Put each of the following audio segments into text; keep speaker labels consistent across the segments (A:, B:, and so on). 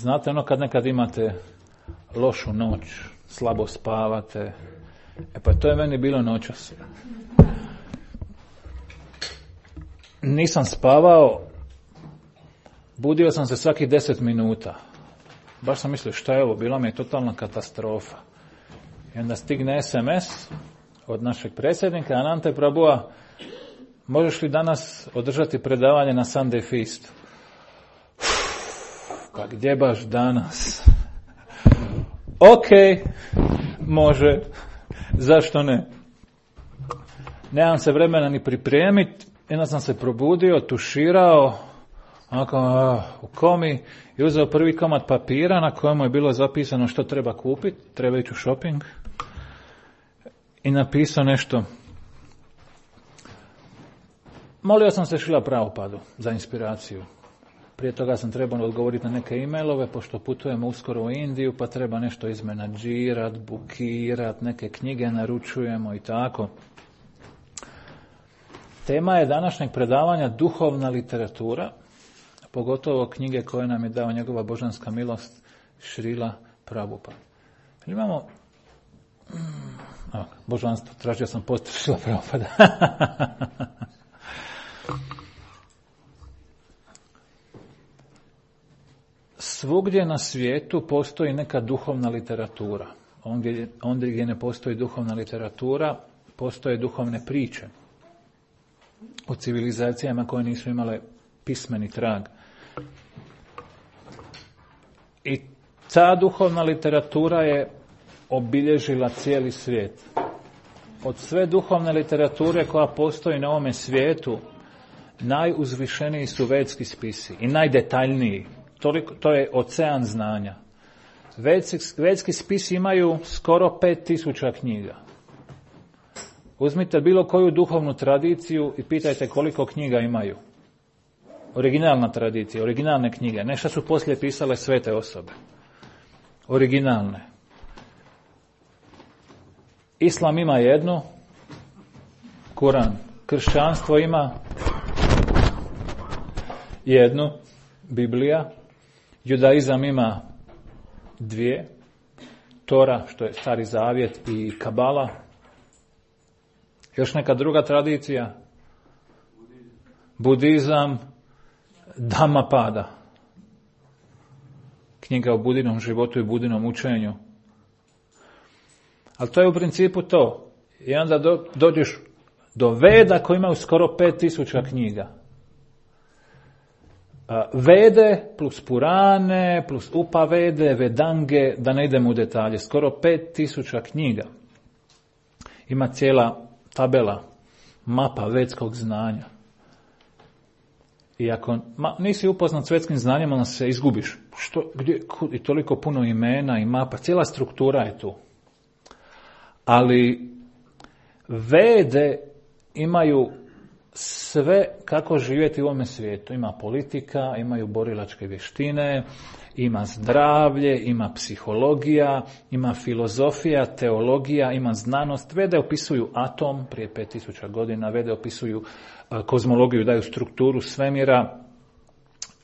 A: Znate ono kad nekad imate lošu noć, slabo spavate, pa to je meni bilo noćas. Nisam spavao, budio sam se svaki 10 minuta. Baš sam mislio šta je ovo, bila mi je totalna katastrofa. I onda stigne SMS od našeg predsjednika Anante Prabhua, možeš li danas održati predavanje na Sunday Feast? Pa gdje baš danas? Ok, može, zašto ne? Nemam se vremena ni pripremiti, onda sam se probudio, tuširao, onako u komi i uzeo prvi komad papira na kojemu je bilo zapisano što treba kupiti, treba ići u shopping i napisao nešto. Molio sam se Šrila Prabhupadu za inspiraciju. Prije toga sam trebao odgovoriti na neke e-mailove, pošto putujemo uskoro u Indiju, pa treba nešto izmenadžirat, bukirat, neke knjige naručujemo i tako. Tema je današnjeg predavanja duhovna literatura, pogotovo knjige koje nam je dao njegova božanska milost Šrila Prabhupada. Imamo božanstvo, tražio sam post Šrila Prabhupada. Svugdje na svijetu postoji neka duhovna literatura. Ondje gdje ne postoji duhovna literatura, postoje duhovne priče o civilizacijama koje nisu imale pismeni trag. I ta duhovna literatura je obilježila cijeli svijet. Od sve duhovne literature koja postoji na ovome svijetu, najuzvišeniji su vedski spisi i najdetaljniji. To je ocean znanja. Vedski spisi imaju skoro 5000 knjiga. Uzmite bilo koju duhovnu tradiciju i pitajte koliko knjiga imaju. Originalna tradicija, originalne knjige. Nešto su poslije pisale svete osobe. Originalne. Islam ima jednu, Kuran. Kršćanstvo ima jednu, Biblija. Judaizam ima 2, Tora, što je Stari Zavjet, i Kabala. Još neka druga tradicija, Budizam, Dhammapada, knjiga o budinom životu i budinom učenju. Ali to je u principu to. I onda dođeš do Veda koji imaju skoro 5000 knjiga. Vede plus Purane, plus Upavede, Vedange, da ne idemo u detalje, skoro 5000 knjiga. Ima cijela tabela, mapa vedskog znanja. I ako nisi upoznat s vedskim znanjem, onda se izgubiš. I toliko puno imena i mapa, cijela struktura je tu. Ali Vede imaju sve kako živjeti u ovome svijetu. Ima politika, imaju borilačke vještine, ima zdravlje, ima psihologija, ima filozofija, teologija, ima znanost. Vede opisuju atom prije 5000 godina, Vede opisuju kozmologiju, daju strukturu svemira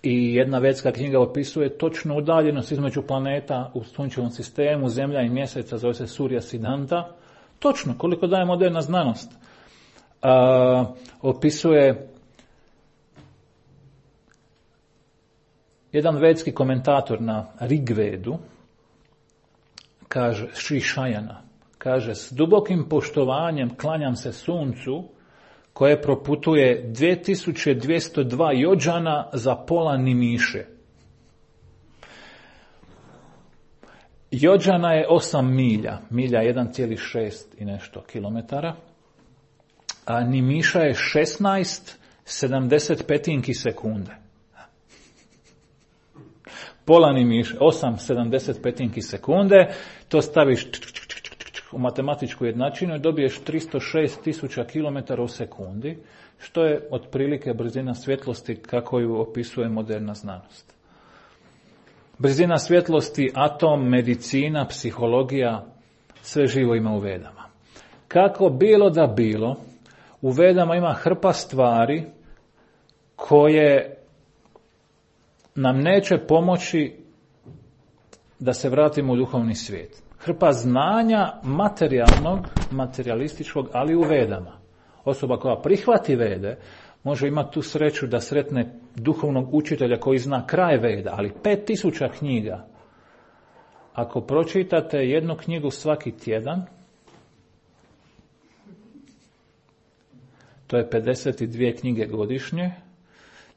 A: i jedna vedska knjiga opisuje točnu udaljenost između planeta u sunčevom sistemu, Zemlja i Mjeseca, zove se Surya Siddhanta. Točno, koliko daje moderna znanost. Opisuje jedan vedski komentator na Rigvedu, kaže, Sri Šajana, kaže, s dubokim poštovanjem klanjam se suncu koje proputuje 2202 jođana za pola nimiše. Jođana je 8 milja, milja 1,6 i nešto kilometara, a nimiša je 16,75 sekunde. Pola nimiša, 8,75 sekunde, to staviš u matematičku jednačinu i dobiješ 306.000 km u sekundi, što je otprilike brzina svjetlosti kako ju opisuje moderna znanost. Brzina svjetlosti, atom, medicina, psihologija, sve živo ima u Vedama. Kako bilo da bilo, u Vedama ima hrpa stvari koje nam neće pomoći da se vratimo u duhovni svijet. Hrpa znanja materijalnog, materijalističkog, ali u Vedama. Osoba koja prihvati Vede može imati tu sreću da sretne duhovnog učitelja koji zna kraj Veda, ali 5000 knjiga. Ako pročitate jednu knjigu svaki tjedan, to je 52 knjige godišnje,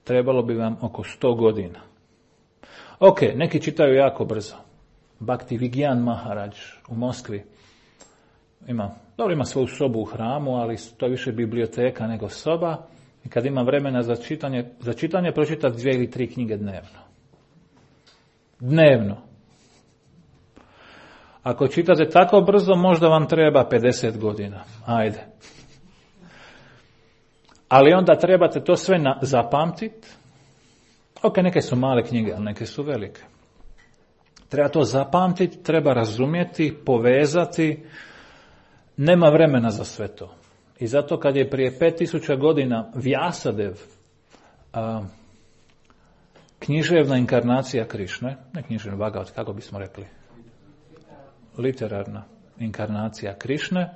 A: trebalo bi vam oko 100 godina. Ok, neki čitaju jako brzo. Bhakti Vigyan Maharaj u Moskvi ima svoju sobu u hramu, ali to je više biblioteka nego soba. I kad ima vremena za čitanje pročitati 2 ili 3 knjige dnevno. Dnevno. Ako čitate tako brzo, možda vam treba 50 godina. Ajde. Ali onda trebate to sve zapamtiti. Ok, neke su male knjige, ali neke su velike. Treba to zapamtiti, treba razumjeti, povezati. Nema vremena za sve to. I zato kad je prije 5000 godina Vjasadev, književna inkarnacija Krišne, ne književna Bhagavat, kako bismo rekli, literarna inkarnacija Krišne,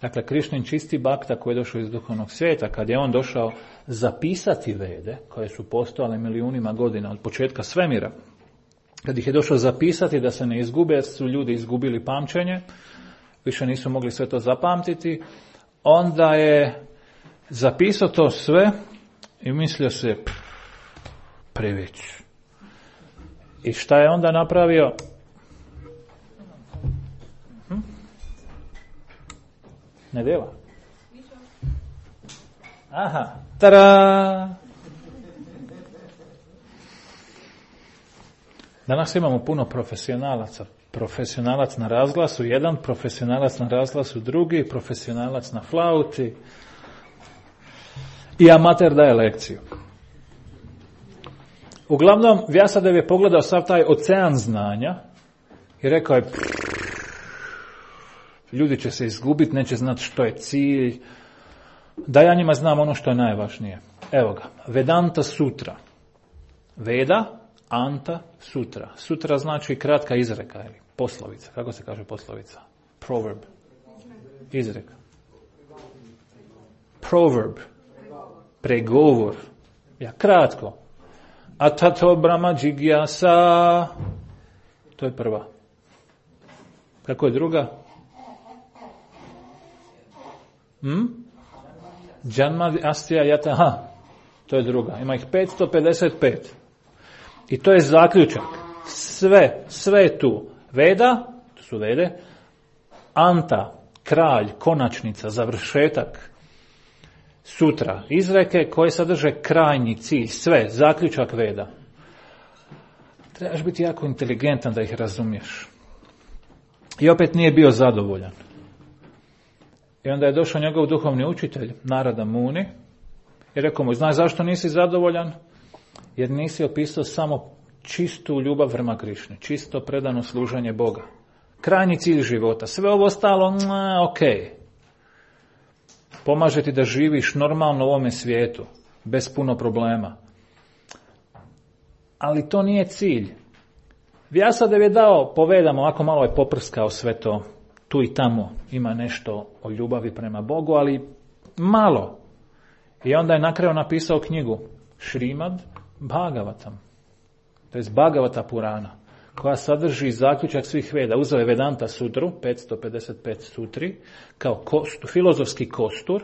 A: dakle Krišnin čisti bakta koji je došao iz duhovnog svijeta, kad je on došao zapisati Vede, koje su postojale milijunima godina od početka svemira, kad ih je došao zapisati da se ne izgube, jer su ljudi izgubili pamćenje, više nisu mogli sve to zapamtiti, onda je zapisao to sve i mislio se preveć. I šta je onda napravio? Ne dela? Aha, tada! Danas imamo puno profesionalaca. Profesionalac na razglasu jedan, profesionalac na razglasu drugi, profesionalac na flauti i amater daje lekciju. Uglavnom, Vjasadev je pogledao sav taj ocean znanja i rekao je ljudi će se izgubiti, neće znati što je cilj, da ja njima znam ono što je najvažnije. Evo ga, Vedanta Sutra. Veda, Anta, Sutra. Sutra znači kratka izreka ili poslovica. Kako se kaže poslovica? Proverb. Izreka. Proverb. Pregovor. Ja, kratko. Atato Brahma Jigyasa. To je prva. Kako je druga? Janma Astya Yataha. To je druga. Ima ih 555. I to je zaključak. Sve je tu. Veda, to su Vede, Anta, kralj, konačnica, završetak, Sutra, izreke koje sadrže krajnji cilj, sve, zaključak Veda. Trebaš biti jako inteligentan da ih razumiješ. I opet nije bio zadovoljan. I onda je došao njegov duhovni učitelj, Narada Muni, i rekao mu, znaš zašto nisi zadovoljan? Jer nisi opisao samo čistu ljubav prema Krišni, čisto predano služenje Boga. Krajnji cilj života. Sve ovo ostalo, ok. Pomaže ti da živiš normalno u ovome svijetu, bez puno problema. Ali to nije cilj. Vjasadev je dao, povedamo, ovako malo je poprskao sve to, tu i tamo ima nešto o ljubavi prema Bogu, ali malo. I onda je na kraju napisao knjigu Šrimad Bhagavatam, to je Bhagavata Purana, koja sadrži zaključak svih Veda. Uzeo je Vedanta Sutru, 555 sutri, kao filozofski kostur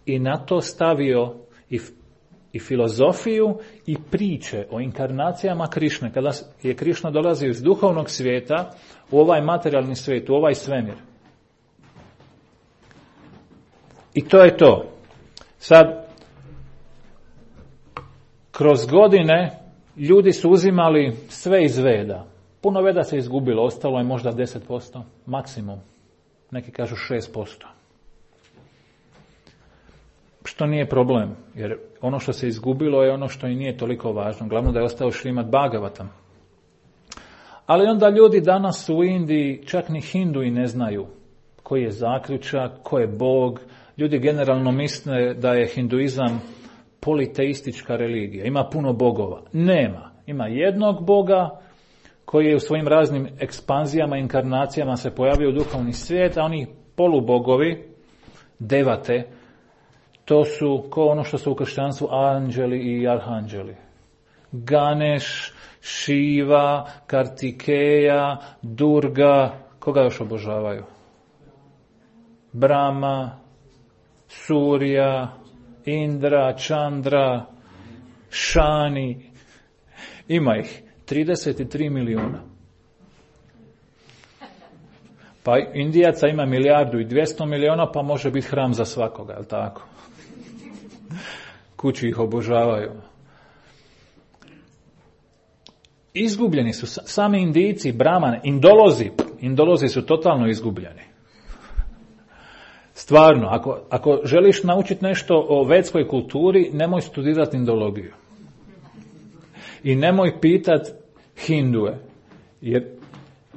A: i na to stavio i filozofiju i priče o inkarnacijama Krišne, kada je Krišna dolazio iz duhovnog svijeta u ovaj materijalni svijet, u ovaj svemir. I to je to. Sad, kroz godine ljudi su uzimali sve iz Veda. Puno Veda se izgubilo, ostalo je možda 10%, maksimum. Neki kažu 6%. Što nije problem, jer ono što se izgubilo je ono što i nije toliko važno. Glavno da je ostao Šrimad Bhagavatam. Ali onda ljudi danas u Indiji, čak ni Hindui ne znaju koji je zaključak, ko je Bog. Ljudi generalno misle da je hinduizam politeistička religija. Ima puno bogova. Nema. Ima jednog Boga koji je u svojim raznim ekspanzijama, inkarnacijama se pojavio u duhovni svijet, a oni polubogovi, devate, to su kao ono što su u kršćanstvu anđeli i arhanđeli. Ganeš, Šiva, Kartikeja, Durga, koga još obožavaju? Brahma, Surja, Indra, Čandra, Šani, ima ih 33 milijuna. Pa Indijaca ima 1.200 milijuna, pa može biti hram za svakoga, jel tako? Kući ih obožavaju. Izgubljeni su sami Indijci, Brahmane, Indolozi su totalno izgubljeni. Stvarno, ako želiš naučiti nešto o vedskoj kulturi, nemoj studirati indologiju. I nemoj pitati Hinduje, jer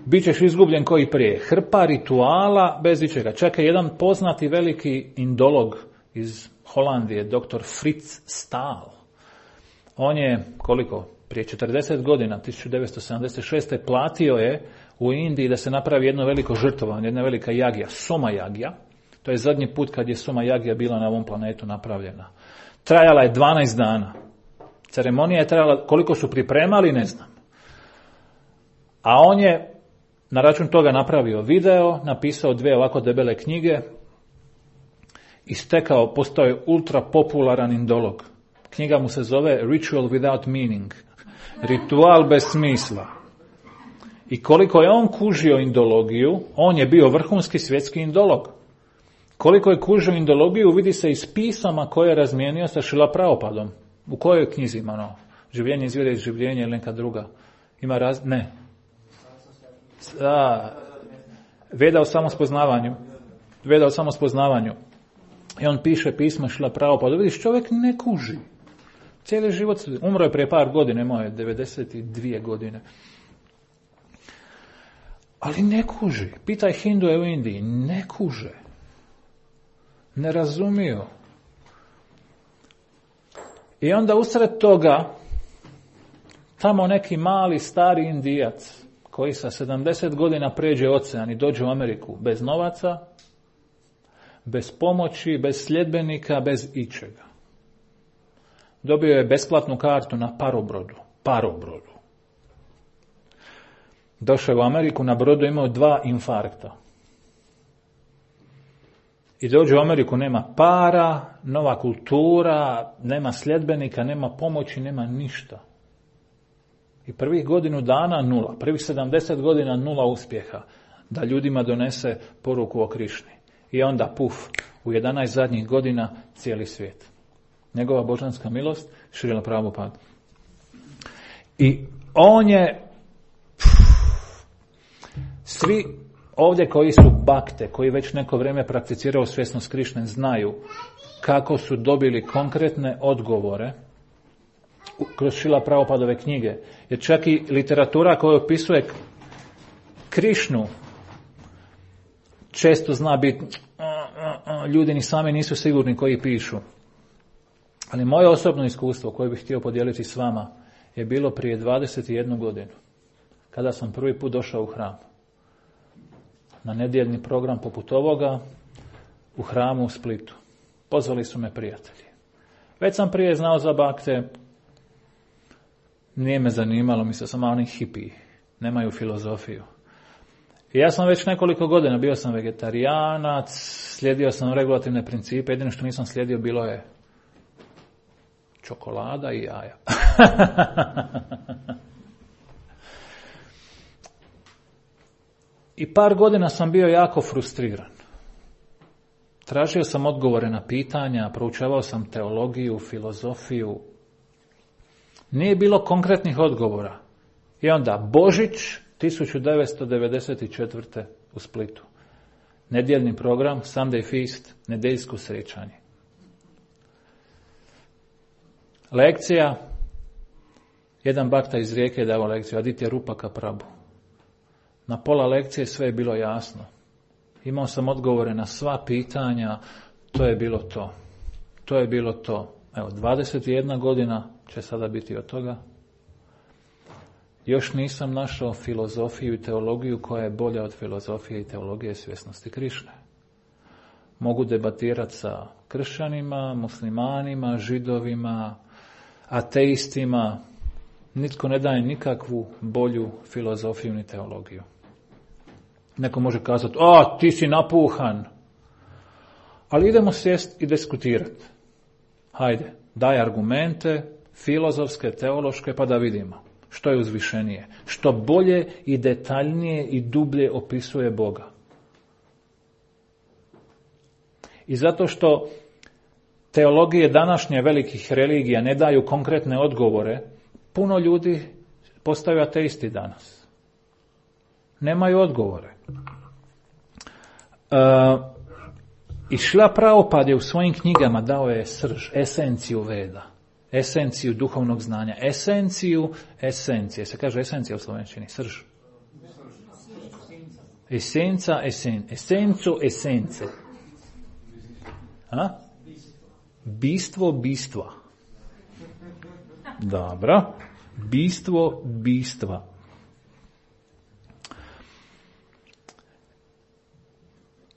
A: bit ćeš izgubljen koji prije. Hrpa rituala bez ičega. Čak je jedan poznati veliki indolog iz Holandije, dr. Fritz Staal. On je, prije 40 godina, 1976. platio je u Indiji da se napravi jedno veliko žrtvovanje, jedna velika jagija, Soma jagija. To je zadnji put kad je Soma jagija bila na ovom planetu napravljena. Trajala je 12 dana. Ceremonija je trajala, koliko su pripremali, ne znam. A on je na račun toga napravio video, napisao 2 ovako debele knjige i postao je ultra popularan indolog. Knjiga mu se zove Ritual Without Meaning. Ritual bez smisla. I koliko je on kužio indologiju, on je bio vrhunski svjetski indolog. Koliko je kužio indologiju vidi se iz pisama koje je razmijenio sa Šrila Prabhupadom. U kojoj knjizi ima ono? Življenje izvire iz življenja ili neka druga? Ima ne. Veda o samospoznavanju. I on piše pisma Šrila Prabhupada. Vidiš, čovjek ne kuži. Cijeli život, umro je prije par godina, imao je 92 godine. Ali ne kuži. Pitaj Hinduje u Indiji, ne kuže. Ne razumiju. I onda usred toga tamo neki mali stari Indijac koji sa 70 godina pređe ocean i dođe u Ameriku bez novaca, bez pomoći, bez sljedbenika, bez ičega. Dobio je besplatnu kartu na parobrodu. Došao je u Ameriku, na brodu imao 2 infarkta. I dođe u Ameriku, nema para, nova kultura, nema sljedbenika, nema pomoći, nema ništa. I prvih godinu dana 0, prvih 70 godina 0 uspjeha da ljudima donese poruku o Krišni. I onda u 11 zadnjih godina cijeli svijet. Njegova božanska milost, Šrila Prabhupada. I on je svi ovdje koji su bakte, koji već neko vrijeme prakticiraju svjesnost Krišne, znaju kako su dobili konkretne odgovore kroz Šrila Prabhupadove knjige. Jer čak i literatura koja opisuje Krišnu često zna biti ljudi ni sami nisu sigurni koji pišu. Ali moje osobno iskustvo koje bih htio podijeliti s vama je bilo prije 21 godinu, kada sam prvi put došao u hram. Na nedjeljni program poput ovoga u hramu u Splitu. Pozvali su me prijatelji. Već sam prije znao za bakte, nije me zanimalo, mislio sam, oni hipiji, nemaju filozofiju. I ja sam već nekoliko godina, bio sam vegetarijanac, slijedio sam regulativne principe, jedino što nisam slijedio bilo je čokolada i jaja. I par godina sam bio jako frustriran. Tražio sam odgovore na pitanja, proučavao sam teologiju, filozofiju. Nije bilo konkretnih odgovora. I onda Božić 1994. u Splitu. Nedjeljni program, Sunday Feast, nedeljsko srećanje. Lekcija, jedan bakta iz Rijeke je dao lekciju, Aditya Rupaka Prabhu. Na pola lekcije sve je bilo jasno. Imao sam odgovore na sva pitanja, to je bilo to. To je bilo to. Evo, 21 godina će sada biti od toga. još nisam našao filozofiju i teologiju koja je bolja od filozofije i teologije svjesnosti Krišne. Mogu debatirati sa kršćanima, muslimanima, židovima, ateistima. Nitko ne daje nikakvu bolju filozofiju ni teologiju. Neko može kazati, ti si napuhan. Ali idemo sjest i diskutirati. Hajde, daj argumente, filozofske, teološke, pa da vidimo što je uzvišenije. Što bolje i detaljnije i dublje opisuje Boga. I zato što teologije današnje velikih religija ne daju konkretne odgovore, puno ljudi postaju ateisti danas. Nemaju odgovore. I Šrila Prabhupada je u svojim knjigama dao je srž, esenciju Veda, esenciju duhovnog znanja, esencije. Se kaže esencija u slovenčini, srž. Esenca, esenco, esence. A? Bistva. Dobro. Bistva.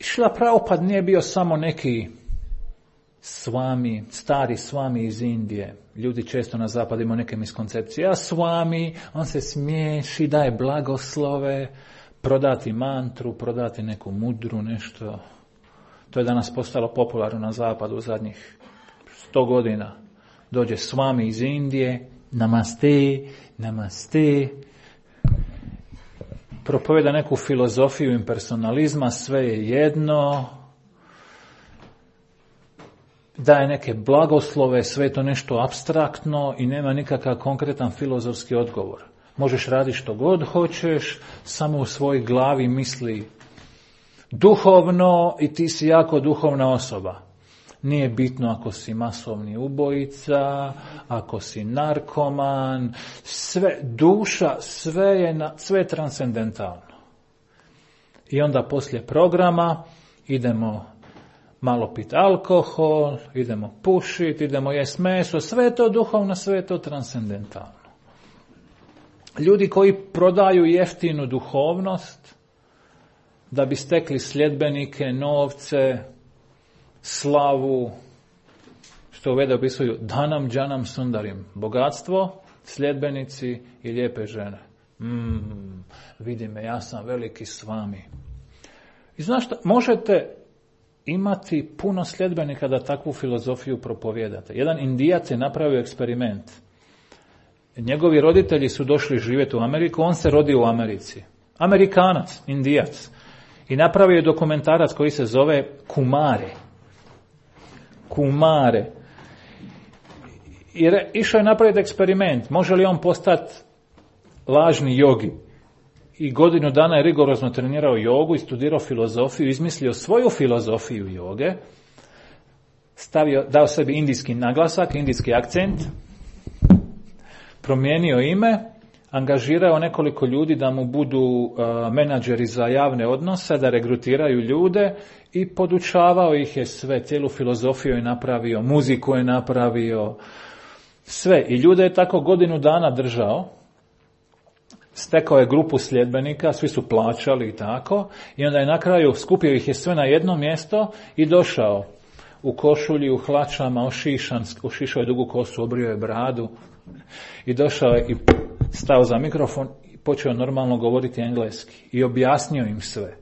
A: Šrila Prabhupada nije bio samo neki stari svami iz Indije. Ljudi često na zapadu imaju neke miskoncepcije. A svami, on se smiješi, daje blagoslove, prodati mantru, prodati neku mudru, nešto. To je danas postalo popularno na zapadu u zadnjih 100 godina. Dođe svami iz Indije, namaste, propoveda neku filozofiju impersonalizma, sve je jedno, daje neke blagoslove, sve je to nešto apstraktno i nema nikakav konkretan filozofski odgovor. Možeš raditi što god hoćeš, samo u svojoj glavi misli duhovno i ti si jako duhovna osoba. Nije bitno ako si masovni ubojica, ako si narkoman, sve, duša, sve je transcendentalno. I onda poslije programa idemo malo piti alkohol, idemo pušiti, idemo jesti meso, sve je to duhovno, sve je to transcendentalno. Ljudi koji prodaju jeftinu duhovnost da bi stekli sljedbenike, novce, slavu, što u Veda opisuju danam, džanam, sundarim, bogatstvo, sljedbenici i lijepe žene. Vidi me, ja sam veliki s vami. I znaš šta, možete imati puno sljedbenika da takvu filozofiju propovijedate. Jedan Indijac je napravio eksperiment. Njegovi roditelji su došli živjeti u Ameriku, on se rodio u Americi. Amerikanac, Indijac. I napravio je dokumentarac koji se zove Kumare. I išao je napraviti eksperiment. Može li on postati lažni jogi? I godinu dana je rigorozno trenirao jogu i studirao filozofiju, izmislio svoju filozofiju joge, dao sebi indijski naglasak, indijski akcent, promijenio ime, angažirao nekoliko ljudi da mu budu menadžeri za javne odnose, da regrutiraju ljude i podučavao ih je sve, cijelu filozofiju je napravio, muziku je napravio, sve. I ljude je tako godinu dana držao, stekao je grupu sljedbenika, svi su plaćali i tako, i onda je na kraju skupio ih je sve na jedno mjesto i došao u košulji, u hlačama, ošišao je dugu kosu, obrio je bradu i došao je i stao za mikrofon i počeo normalno govoriti engleski i objasnio im sve.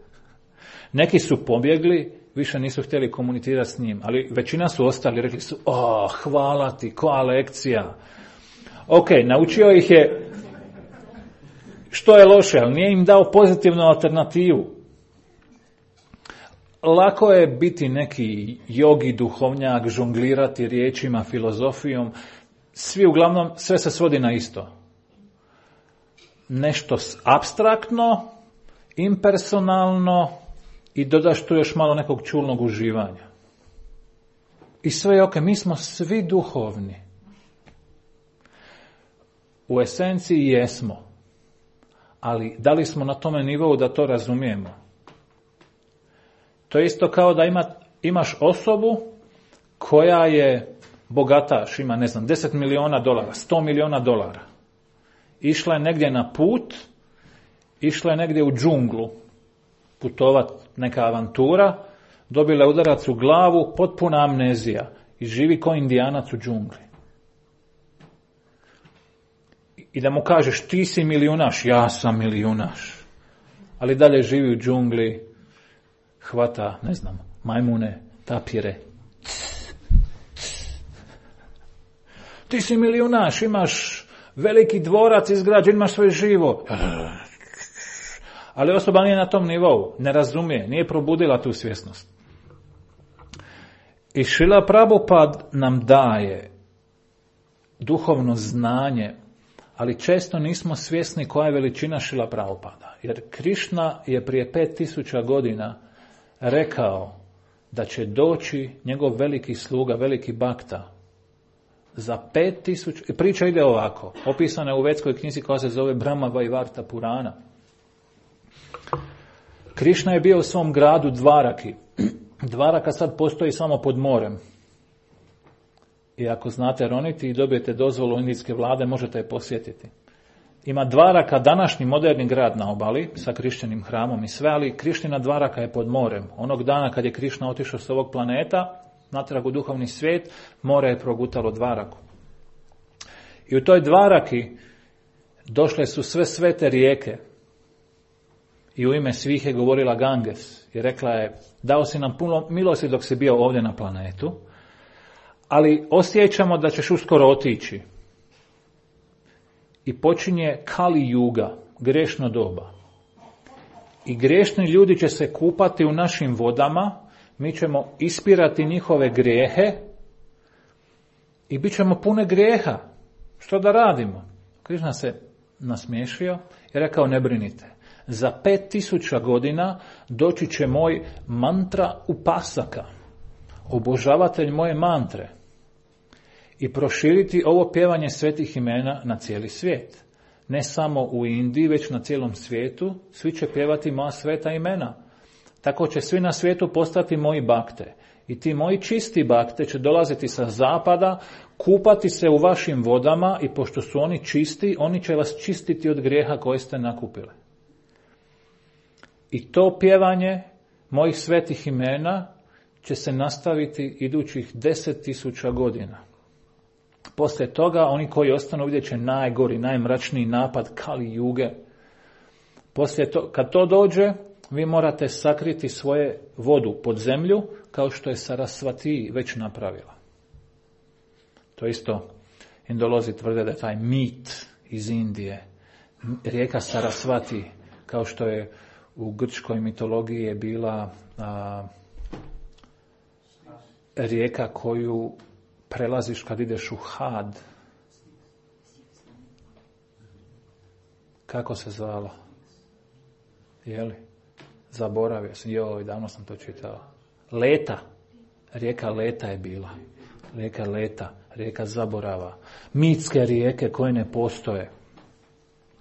A: Neki su pobjegli, više nisu htjeli komunicirati s njim, ali većina su ostali, rekli su, hvala ti, koja lekcija. Ok, naučio ih je što je loše, ali nije im dao pozitivnu alternativu. Lako je biti neki jogi, duhovnjak, žonglirati riječima, filozofijom. Sve se svodi na isto. Nešto apstraktno, impersonalno i dodaš tu još malo nekog čulnog uživanja. I sve je ok, mi smo svi duhovni. U esenciji jesmo. Ali da li smo na tome nivou da to razumijemo? To je isto kao da imaš osobu koja je bogataš, ima $10 milijuna, $100 milijuna. išla je negdje na put, išla je negdje u džunglu, putovat neka avantura, dobila je udarac u glavu, potpuna amnezija i živi ko indijanac u džungli. I da mu kažeš ti si milijunaš, ja sam milijunaš, ali dalje živi u džungli, hvata, ne znam, majmune, tapire. Ti si milijunaš, imaš veliki dvorac izgrađen, imaš svoje živo. Ali osoba nije na tom nivou, ne razumije, nije probudila tu svjesnost. I Šrila Prabhupad nam daje duhovno znanje, ali često nismo svjesni koja je veličina Šrila Prabhupada. Jer Krišna je prije 5000 godina rekao da će doći njegov veliki sluga, veliki bakta, za 5000, priča ide ovako, opisana je u vedskoj knjizi koja se zove Brahma Vaivarta Purana. Krišna je bio u svom gradu Dvaraki. Dvaraka sad postoji samo pod morem. I ako znate roniti i dobijete dozvolu indijske vlade, možete je posjetiti. Ima Dvaraka, današnji moderni grad na obali, sa Krišćanim hramom i sve, ali Krišnina Dvaraka je pod morem. Onog dana kad je Krišna otišao s ovog planeta, natrag u duhovni svijet, more je progutalo Dvaraku. I u toj Dvaraki došle su sve svete rijeke. I u ime svih je govorila Ganges. I rekla je, dao si nam puno milosti dok si bio ovdje na planetu, ali osjećamo da ćeš uskoro otići. I počinje Kali Yuga, grešno doba. I grešni ljudi će se kupati u našim vodama, mi ćemo ispirati njihove grijehe i bit ćemo pune grijeha. Što da radimo? Krišna se nasmiješio i rekao, ne brinite. Za 5000 godina doći će moj mantra upasaka, obožavatelj moje mantre, i proširiti ovo pjevanje svetih imena na cijeli svijet. Ne samo u Indiji, već na cijelom svijetu, svi će pjevati moja sveta imena. Tako će svi na svijetu postati moji bakte. I ti moji čisti bakte će dolaziti sa zapada, kupati se u vašim vodama i pošto su oni čisti, oni će vas čistiti od grijeha koje ste nakupili. I to pjevanje mojih svetih imena će se nastaviti idućih 10.000 godina. Poslije toga, oni koji ostanu vidjet će najgori, najmračniji napad Kali Juge. Poslije to, kad to dođe, vi morate sakriti svoje vodu pod zemlju, kao što je Sarasvati već napravila. To isto Indolozi tvrde da je taj mit iz Indije. Rijeka Sarasvati, kao što je u grčkoj mitologiji je bila rijeka koju prelaziš kad ideš u Had. Kako se zvala? Jeli? Zaboravio sam. Joj, davno sam to čitao. Leta. Rijeka Leta je bila. Rijeka Leta. Rijeka zaborava. Mitske rijeke koje ne postoje.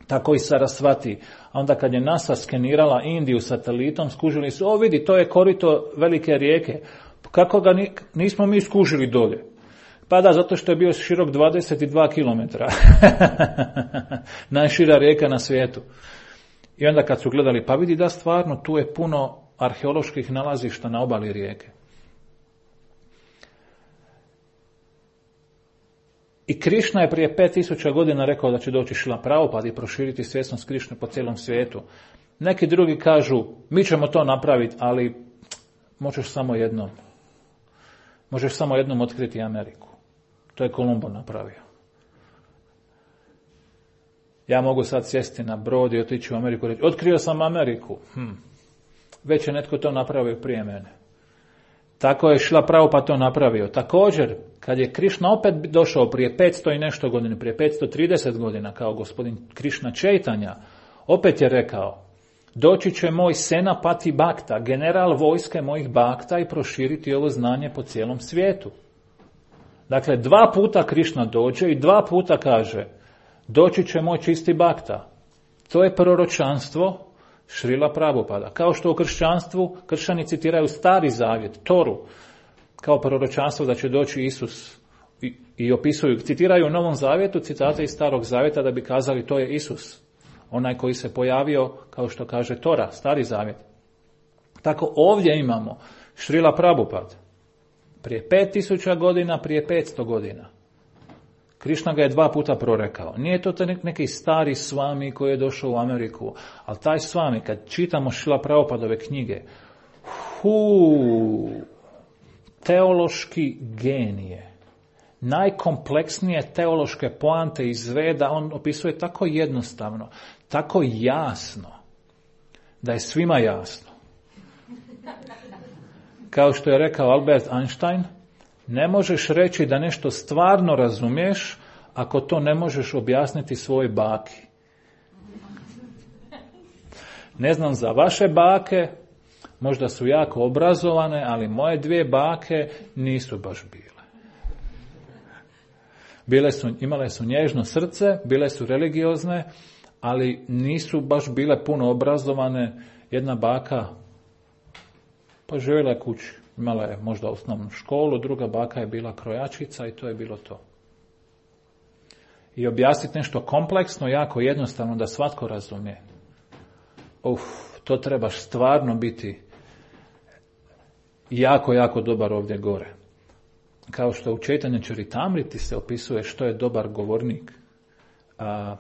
A: Tako i Sarasvati. A onda kad je NASA skenirala Indiju satelitom, skužili su, vidi, to je korito velike rijeke. Kako ga nismo mi skužili dolje? Pa da, zato što je bio širok 22 km. Najšira rijeka na svijetu. I onda kad su gledali, pa vidi da stvarno tu je puno arheoloških nalazišta na obali rijeke. I Krišna je prije 5000 godina rekao da će doći Šrila Prabhupada i proširiti svjesnost Krišne po cijelom svijetu. Neki drugi kažu, mi ćemo to napraviti, ali možeš samo jednom. Možeš samo jednom otkriti Ameriku. To je Kolumbo napravio. Ja mogu sad sjesti na brod i otići u Ameriku i reći, otkrio sam Ameriku. Već je netko to napravio prije mene. Tako je Šrila Prabhupada to napravio. Također, kad je Krišna opet došao prije 500 i nešto godina, prije 530 godina, kao gospodin Krišna Čejtanja, opet je rekao, doći će moj Senapati Bhakta, general vojske mojih Bhakta i proširiti ovo znanje po cijelom svijetu. Dakle, 2 puta Krišna dođe i 2 puta kaže, doći će moj čisti Bhakta. To je proročanstvo Šrila Prabhupada. Kao što u kršćanstvu, kršćani citiraju Stari zavjet, Toru, kao proročanstvo da će doći Isus I opisuju, citiraju u Novom Zavjetu citate iz Starog Zavjeta da bi kazali to je Isus. Onaj koji se pojavio, kao što kaže Tora, Stari Zavjet. Tako ovdje imamo Šrila Prabhupada. Prije 5000 godina, prije 500 godina. Krišna ga je 2 puta prorekao. Nije to neki stari svami koji je došao u Ameriku, ali taj svami, kad čitamo Šrila Prabhupadove knjige, teološki genije, najkompleksnije teološke poante iz Veda, on opisuje tako jednostavno, tako jasno, da je svima jasno. Kao što je rekao Albert Einstein, ne možeš reći da nešto stvarno razumiješ ako to ne možeš objasniti svojoj baki. Ne znam za vaše bake, možda su jako obrazovane, ali moje 2 bake nisu baš bile. Imale su nježno srce, bile su religiozne, ali nisu baš bile puno obrazovane. Jedna baka pa živjela je kući. Imala je možda osnovnu školu, druga baka je bila krojačica i to je bilo to. I objasniti nešto kompleksno, jako jednostavno da svatko razumije. To trebaš stvarno biti jako, jako dobar ovdje gore. Kao što u Čejtanja Čaritamriti se opisuje što je dobar govornik.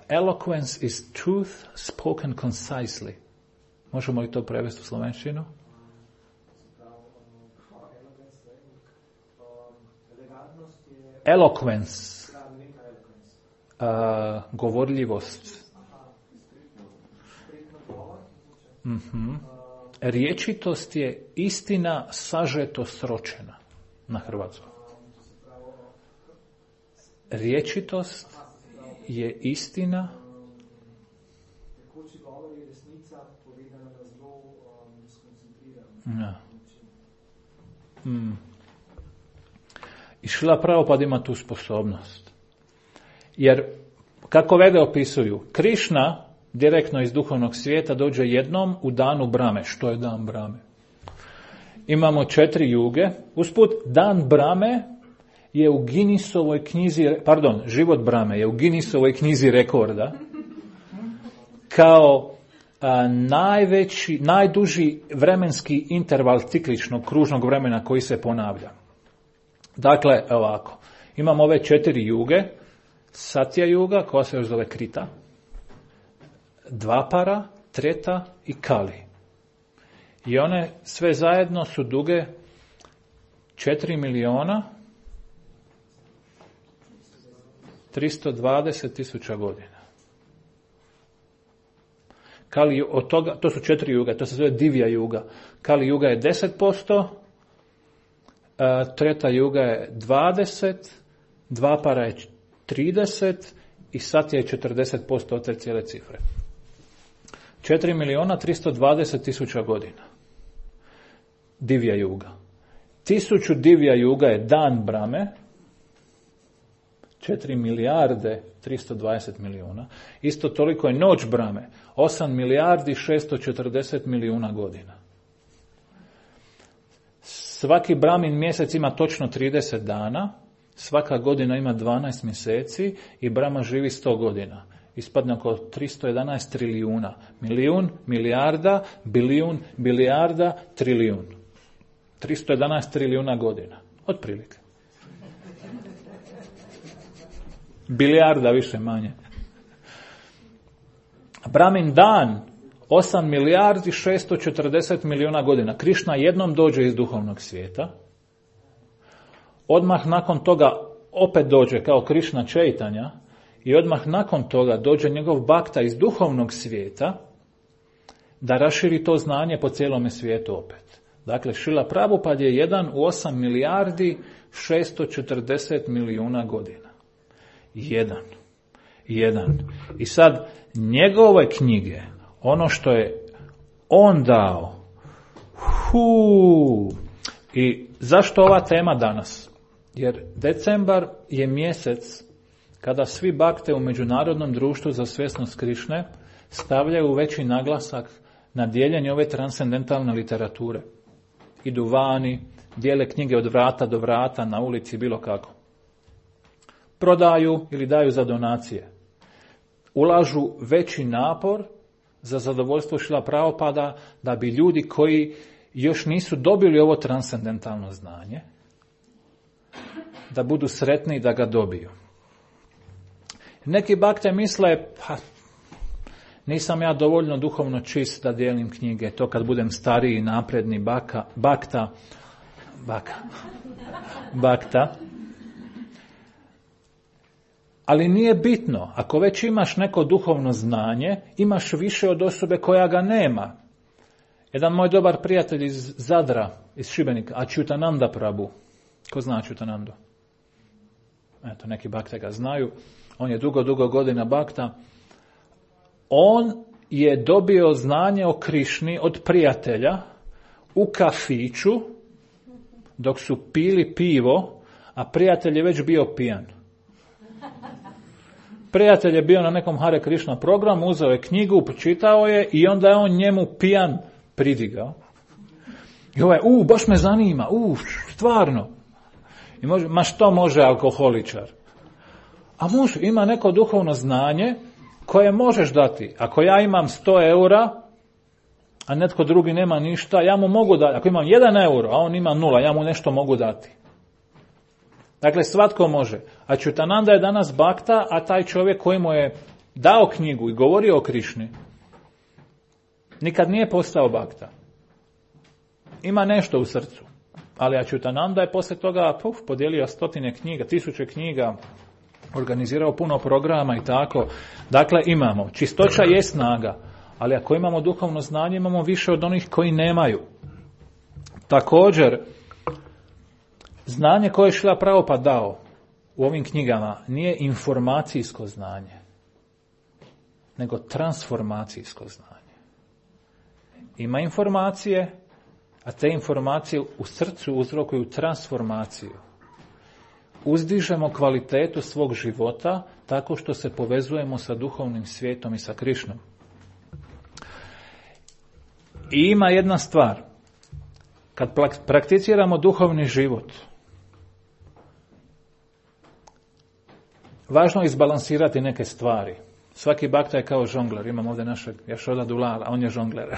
A: Eloquence is truth spoken concisely. Možemo li to prevesti u slovenštinu? Eloquence. Govorljivost. Riječitost je istina sažeto sročena na hrvatskom. Riječitost je istina I Šrila Prabhupada ima tu sposobnost. Jer, kako Vede opisuju, Krišna direktno iz duhovnog svijeta dođe jednom u danu Brame. Što je dan Brame? Imamo 4 juge. Usput, dan Brame je u Guinnessovoj knjizi, život Brame je u Guinnessovoj knjizi rekorda kao najduži vremenski interval cikličnog kružnog vremena koji se ponavlja. Dakle, ovako, imamo ove 4 juge, Satya juga, koja se još zove Krita, Dvapara, Treta i Kali. I one sve zajedno su duge 4.320.000 godina. Kali, od toga, to su 4 juga, to se zove Divya juga. Kali juga je 10%, Treta juga je 20%, Dvapara je 30% i Satya je 40% od te cijele cifre. 4.320.000 godina. Divya juga. 1000 Divya juga je dan Brame, 4.320.000.000. Isto toliko je noć Brame, 8.640.000.000 godina. Svaki Bramin mjesec ima točno 30 dana, svaka godina ima 12 mjeseci i Brahma živi 100 godina. Ispadne oko 311 trilijuna. Milijun, milijarda, bilijun, bilijarda, trilijun. 311 trilijuna godina. Otprilike. Bilijarda više manje. Brahmin dan 8.640.000.000 godina. Krišna jednom dođe iz duhovnog svijeta. Odmah nakon toga opet dođe kao Krišna Čejtanja i odmah nakon toga dođe njegov bakta iz duhovnog svijeta da raširi to znanje po cijelome svijetu opet. Dakle, Šrila Prabhupada je jedan u 8.640.000.000 godina. Jedan. I sad, njegove knjige, ono što je on dao, i zašto ova tema danas? Jer decembar je mjesec kada svi bakte u Međunarodnom društvu za svjesnost Krišne stavljaju veći naglasak na dijeljenje ove transcendentalne literature. Idu vani, dijele knjige od vrata do vrata, na ulici, bilo kako. prodaju ili daju za donacije. Ulažu veći napor za zadovoljstvo Šrila Prabhupada da bi ljudi koji još nisu dobili ovo transcendentalno znanje, da budu sretni da ga dobiju. Neki bakte misle, pa nisam ja dovoljno duhovno čist da dijelim knjige, to kad budem stariji, napredni bakta. Ali nije bitno, ako već imaš neko duhovno znanje, imaš više od osobe koja ga nema. Jedan moj dobar prijatelj iz Zadra, iz Šibenika, Achyutananda Prabhu. Ko zna Achyutanandu? Eto, neki bakte ga znaju. On je dugo godina bakta. On je dobio znanje o Krišni od prijatelja u kafiću dok su pili pivo, a prijatelj je već bio pijan. Prijatelj je bio na nekom Hare Krishna programu, uzeo je knjigu, pročitao je i onda je on njemu pijan pridigao. I ovaj, baš me zanima, stvarno. I može, ma što može alkoholičar? A može, ima neko duhovno znanje koje možeš dati. Ako ja imam 100 eura, a netko drugi nema ništa, ja mu mogu dati. Ako imam 1 euro, a on ima 0, ja mu nešto mogu dati. Dakle, svatko može. A Achyutananda je danas bakta, a taj čovjek koji mu je dao knjigu i govorio o Krišni, nikad nije postao bakta. Ima nešto u srcu. Ali Achyutananda je poslije toga podijelio 100 knjiga, 1000 knjiga, organizirao puno programa i tako. Dakle, imamo. Čistoća je snaga, ali ako imamo duhovno znanje, imamo više od onih koji nemaju. Također, znanje koje je Šrila Prabhupada dao u ovim knjigama nije informacijsko znanje, nego transformacijsko znanje. Ima informacije, a te informacije u srcu uzrokuju transformaciju. Uzdižemo kvalitetu svog života tako što se povezujemo sa duhovnim svijetom i sa Krišnom. I ima jedna stvar. Kad prakticiramo duhovni život, važno je izbalansirati neke stvari. Svaki bakta je kao žongler. Imam ovdje našeg Jašoda Dulala, on je žongler.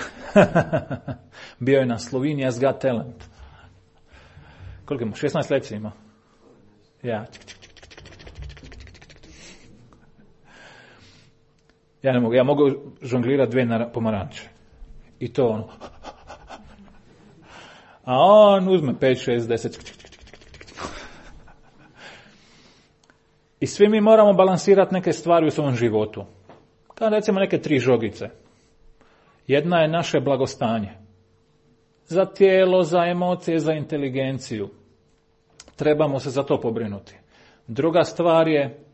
A: Bio je na Slovenia's Got Talent. Koliko ima? 16 lekcija ima. Ja. Ja ne mogu. Ja mogu žonglirati 2 pomaranče. I to ono. A on uzme 5, 6, 10. I svi mi moramo balansirati neke stvari u svom životu. Kao recimo neke 3 žogice. Jedna je naše blagostanje. Za tijelo, za emocije, za inteligenciju. Trebamo se za to pobrinuti. Druga stvar je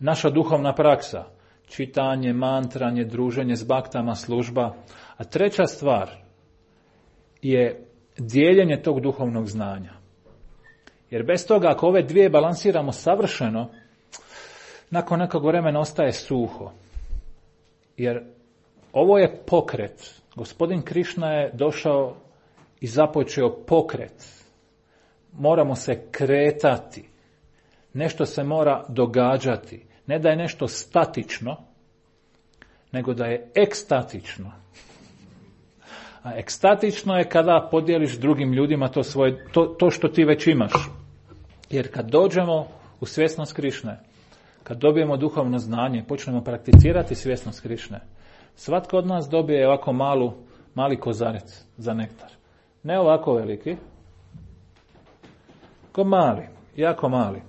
A: naša duhovna praksa. Čitanje, mantranje, druženje s baktama, služba. A treća stvar je dijeljenje tog duhovnog znanja. Jer bez toga, ako ove 2 balansiramo savršeno, nakon nekog vremena ostaje suho. Jer ovo je pokret. Gospodin Krišna je došao i započeo pokret. Moramo se kretati. Nešto se mora događati. Ne da je nešto statično, nego da je ekstatično. A ekstatično je kada podijeliš drugim ljudima to što ti već imaš. Jer kad dođemo u svjesnost Krišne, kad dobijemo duhovno znanje, počnemo prakticirati svjesnost Krišne, svatko od nas dobije ovako mali kozarec za nektar. Ne ovako veliki, ko mali, jako mali.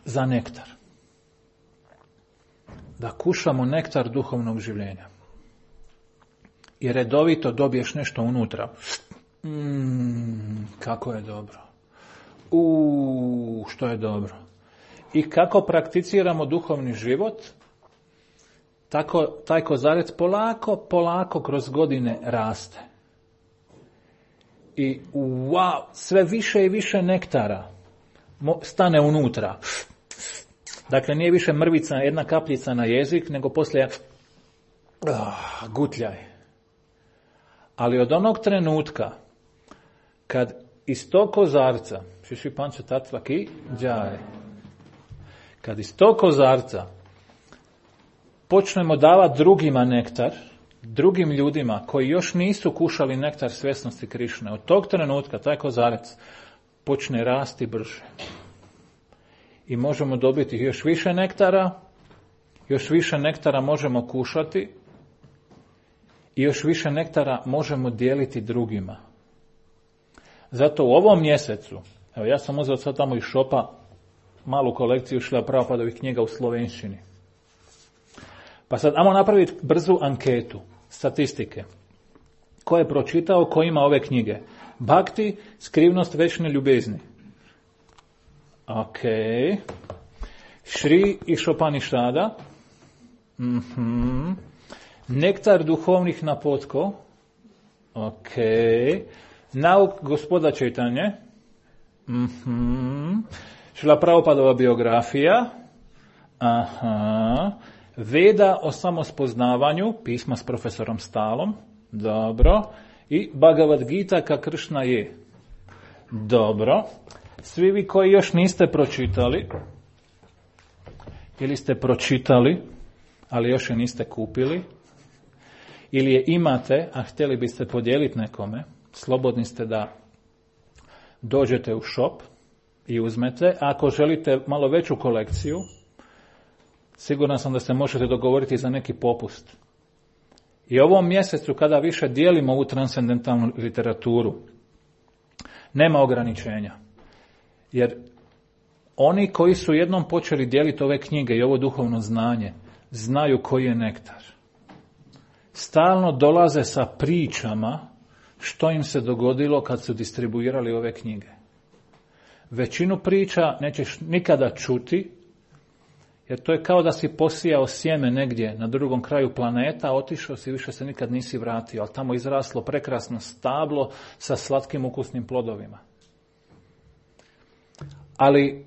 A: Za nektar. Da kušamo nektar duhovnog življenja. I redovito dobiješ nešto unutra. Kako je dobro. Što je dobro. I kako prakticiramo duhovni život, tako taj kozarec polako kroz godine raste. I sve više i više nektara stane unutra. Dakle, nije više mrvica, jedna kapljica na jezik, nego poslije gutljaj. Ali od onog trenutka kad iz tog kozarca, šiši panče tatvaki džaje, kad iz tog kozarca počnemo davati drugima nektar, drugim ljudima koji još nisu kušali nektar svjesnosti Krišne, od tog trenutka taj kozarac počne rasti brže. I možemo dobiti još više nektara možemo kušati i još više nektara možemo dijeliti drugima. Zato u ovom mjesecu, evo ja sam uzeo sad tamo iz šopa malu kolekciju Šrila Prabhupadovih knjiga u slovenščini. Pa sad ajmo napraviti brzu anketu, statistike. Ko je pročitao, ko ima ove knjige? Bhakti, skrivnost večne ljubezni. Ok. Šri Išopanišada. Nektar duhovnih napotkov. Ok. Nauk gospoda Čejtanje. Šrila Prabhupadova biografija. Aha. Veda o samospoznavanju, pisma s profesorom Stalom. Dobro. I Bhagavad Gita ka Kršna je. Dobro. Svi vi koji još niste pročitali, ili ste pročitali, ali još je niste kupili, ili je imate, a htjeli biste podijeliti nekome, slobodni ste da dođete u shop i uzmete. A ako želite malo veću kolekciju, siguran sam da se možete dogovoriti za neki popust. I ovom mjesecu kada više dijelimo ovu transcendentalnu literaturu, nema ograničenja. Jer oni koji su jednom počeli dijeliti ove knjige i ovo duhovno znanje, znaju koji je nektar. Stalno dolaze sa pričama što im se dogodilo kad su distribuirali ove knjige. Većinu priča nećeš nikada čuti, jer to je kao da si posijao sjeme negdje na drugom kraju planeta, otišao si, više se nikad nisi vratio, ali tamo izraslo prekrasno stablo sa slatkim ukusnim plodovima. Ali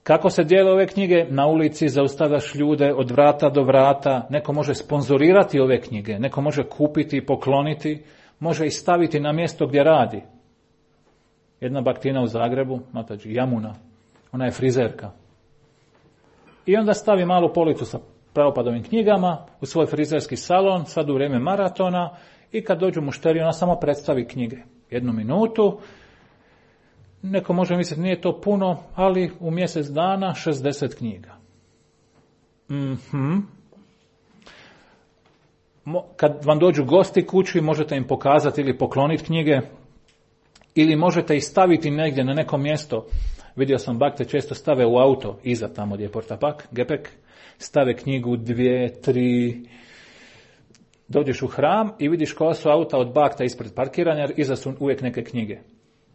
A: kako se dijele ove knjige? Na ulici zaustavljaš ljude od vrata do vrata, neko može sponzorirati ove knjige, neko može kupiti i pokloniti, može ih staviti na mjesto gdje radi. Jedna baktina u Zagrebu, Matađi, Jamuna, ona je frizerka. I onda stavi malu policu sa Prabhupadovim knjigama u svoj frizerski salon, sad u vrijeme maratona, i kad dođu mušteri, ona samo predstavi knjige. 1 minutu, neko može misliti nije to puno, ali u mjesec dana 60 knjiga. Kad vam dođu gosti kući, možete im pokazati ili pokloniti knjige, ili možete ih staviti negdje na neko mjesto. Vidio sam bakte često stave u auto, iza tamo gdje je portapak, gepek, stave knjigu 2, 3, dođeš u hram i vidiš koja su auta od bakta ispred parkiranja, jer iza su uvijek neke knjige.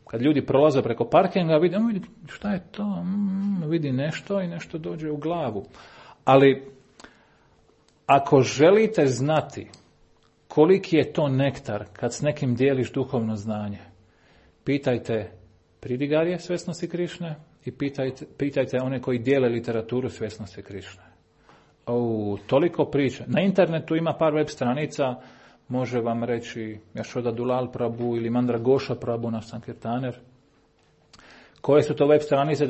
A: Kad ljudi prolaze preko parkinga, vidi šta je to, vidi nešto i nešto dođe u glavu. Ali ako želite znati koliki je to nektar kad s nekim dijeliš duhovno znanje, pitajte pridigarje svjesnosti Krišne i pitajte one koji dijele literaturu svjesnosti Krišne. Toliko priča. Na internetu ima par web stranica, može vam reći Jašoda Dulal Prabhu ili Mandra Gosha Prabhu, naš Sankirtaner. Koje su to web stranice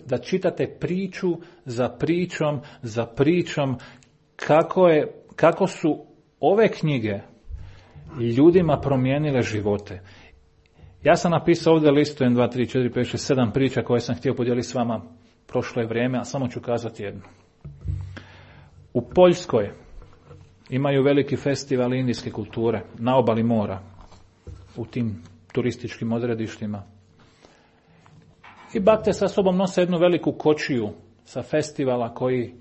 A: da čitate priču za pričom kako su ove knjige ljudima promijenile živote. Ja sam napisao ovdje listu 1, 2, 3, 4, 5, 6, 7 priča koje sam htio podijeliti s vama prošlo je vrijeme, a samo ću kazati jednu. U Poljskoj imaju veliki festival indijske kulture na obali mora, u tim turističkim odredištima. I bakte sa sobom nose jednu veliku kočiju sa festivala koji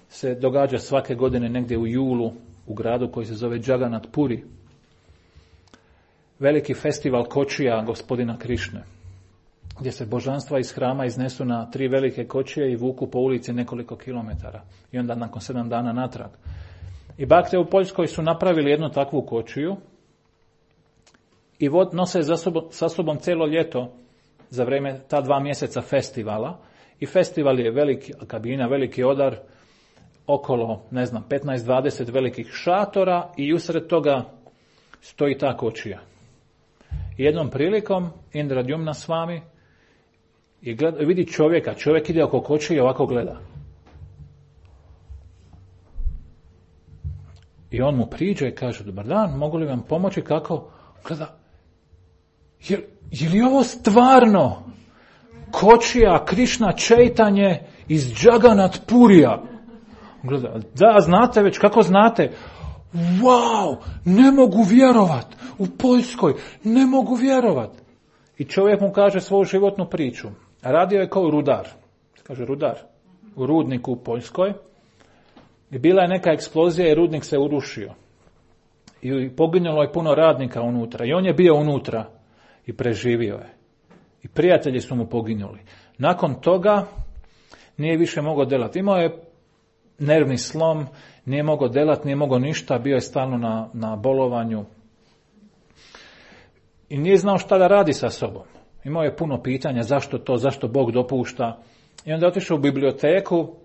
A: se događa svake godine negdje u julu u gradu koji se zove Jagannath Puri. Veliki festival kočija gospodina Krišne, gdje se božanstva iz hrama iznesu na 3 velike kočije i vuku po ulici nekoliko kilometara. I onda nakon 7 dana natrag. I bakte u Poljskoj su napravili jednu takvu kočiju i nose sa sobom cijelo ljeto za vrijeme ta 2 mjeseca festivala. I festival je veliki kabina, veliki odar, okolo, 15-20 velikih šatora i usred toga stoji ta kočija. I jednom prilikom Indra Djumna s vami i vidi čovjeka. Čovjek ide oko koče i ovako gleda. I on mu priđe i kaže, dobar dan, mogu li vam pomoći? Kako? Gleda, je li ovo stvarno Kočija Krišna Čejtanje iz Džaganat Purija? Gleda, da, znate već, kako znate? Wow, ne mogu vjerovat, u Poljskoj, ne mogu vjerovat. I čovjek mu kaže svoju životnu priču. Radio je kao rudar, kaže rudar, u rudniku u Poljskoj. I bila je neka eksplozija i rudnik se urušio. I poginulo je puno radnika unutra. I on je bio unutra i preživio je. I prijatelji su mu poginuli. Nakon toga nije više mogao delati. Imao je nervni slom, nije mogao delati, nije mogao ništa, bio je stalno na bolovanju. I nije znao šta da radi sa sobom. Imao je puno pitanja, zašto to, zašto Bog dopušta. I onda je otišao u biblioteku,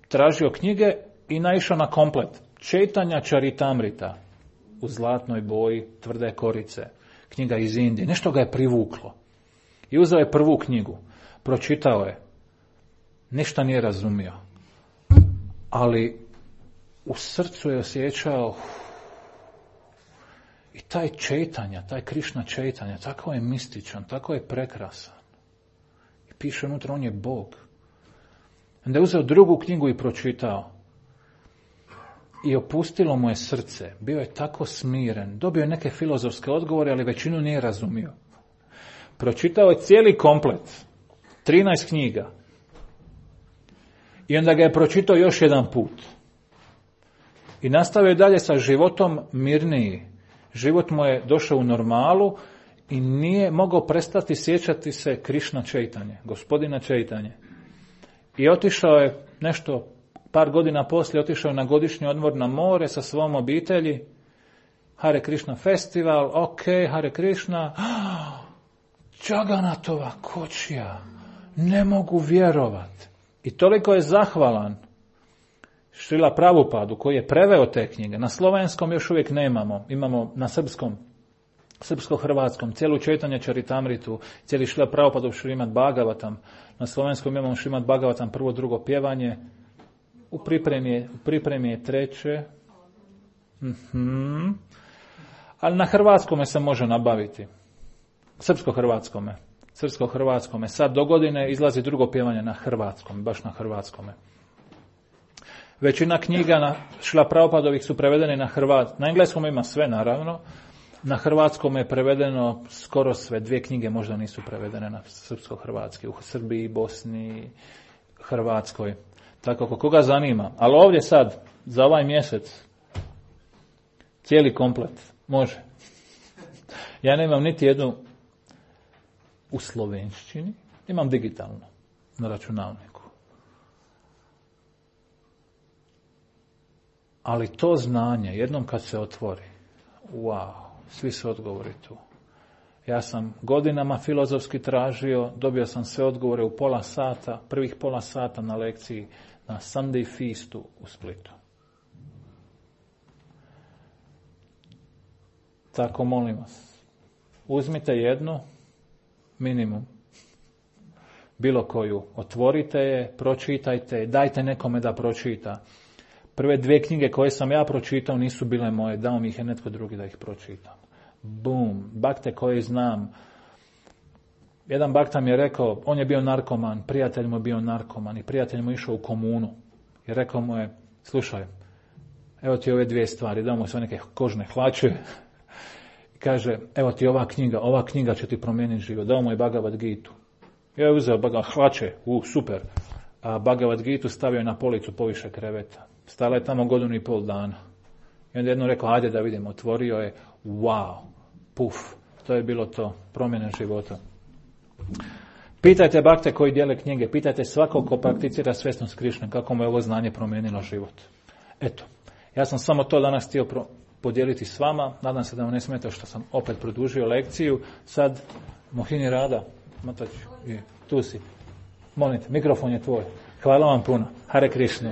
A: tražio knjige i naišao na komplet. Čejtanja Čaritamrita u zlatnoj boji, tvrde korice. Knjiga iz Indije. Nešto ga je privuklo. I uzeo je prvu knjigu. Pročitao je. Ništa nije razumio. Ali u srcu je osjećao i taj Čejtanja, taj Krišna Čejtanja, tako je mističan, tako je prekrasan. I piše unutra, on je Bog. Onda je uzeo drugu knjigu i pročitao. I opustilo mu je srce. Bio je tako smiren. Dobio je neke filozofske odgovore, ali većinu nije razumio. Pročitao je cijeli komplet. 13 knjiga. I onda ga je pročitao još jedan put. I nastavio dalje sa životom mirniji. Život mu je došao u normalu i nije mogao prestati sjećati se Krišna Čejtanje, gospodina Čejtanje. I otišao je nešto, par godina poslije, otišao je na godišnji odmor na more sa svom obitelji. Hare Krišna festival, ok, Hare Krišna. Džaganatova Kočija, ne mogu vjerovat. I toliko je zahvalan Šrila Prabhupadu koji je preveo te knjige. Na slovenskom još uvijek nemamo. Imamo na srpskom, srpsko-hrvatskom, cijelu Čejtanje Čaritamritu, cijeli Šrila Prabhupadov Šrimad Bhagavatam. Na slovenskom imamo Šrimad Bhagavatam prvo, drugo pjevanje. U pripremi je treće. Ali na hrvatskome se može nabaviti. Srpsko-hrvatskome. Sad do godine izlazi drugo pjevanje na hrvatskom, baš na hrvatskome. Većina knjiga na Šrila Prabhupadovih su prevedene na hrvatskom. Na engleskom ima sve, naravno. Na hrvatskom je prevedeno skoro sve. 2 knjige možda nisu prevedene na srpsko-hrvatski. U Srbiji, Bosni, Hrvatskoj. Tako, ako koga zanima. Ali ovdje sad, za ovaj mjesec, cijeli komplet. Može. Ja nemam niti jednu u slovenščini. Imam digitalno na računalniku. Ali to znanje, jednom kad se otvori, wow, svi su odgovori tu. Ja sam godinama filozofski tražio, dobio sam sve odgovore u prvih pola sata na lekciji na Sunday Feastu u Splitu. Tako molim vas, uzmite jednu, minimum, bilo koju, otvorite je, pročitajte je, dajte nekome da pročita. Prve 2 knjige koje sam ja pročitao nisu bile moje, dao mi ih je netko drugi da ih pročitam. Bum, bakte koje znam. Jedan bakta mi je rekao, on je bio narkoman, prijatelj mu je bio narkoman i prijatelj mu je išao u komunu. I rekao mu je, slušaj, evo ti ove 2 stvari, dao mu sve neke kožne hlače. I kaže, evo ti ova knjiga će ti promijeniti život. Dao mu je Bhagavad Gitu. Ja je uzeo hlače, super. A Bhagavad Gitu stavio na policu poviše kreveta. Stala je tamo 1.5 godina. I onda jedno rekao, ajde da vidim, otvorio je, wow, puf, to je bilo to, promjena života. Pitajte bakte koji dijele knjige, pitajte svakog ko prakticira svjesnost Krišne, kako mu je ovo znanje promijenilo život. Eto, ja sam samo to danas htio podijeliti s vama, nadam se da vam ne smeta što sam opet produžio lekciju. Sad, Mohini Rada, Matač, tu si, molim te, mikrofon je tvoj. Hvala vam puno, Hare Krišna.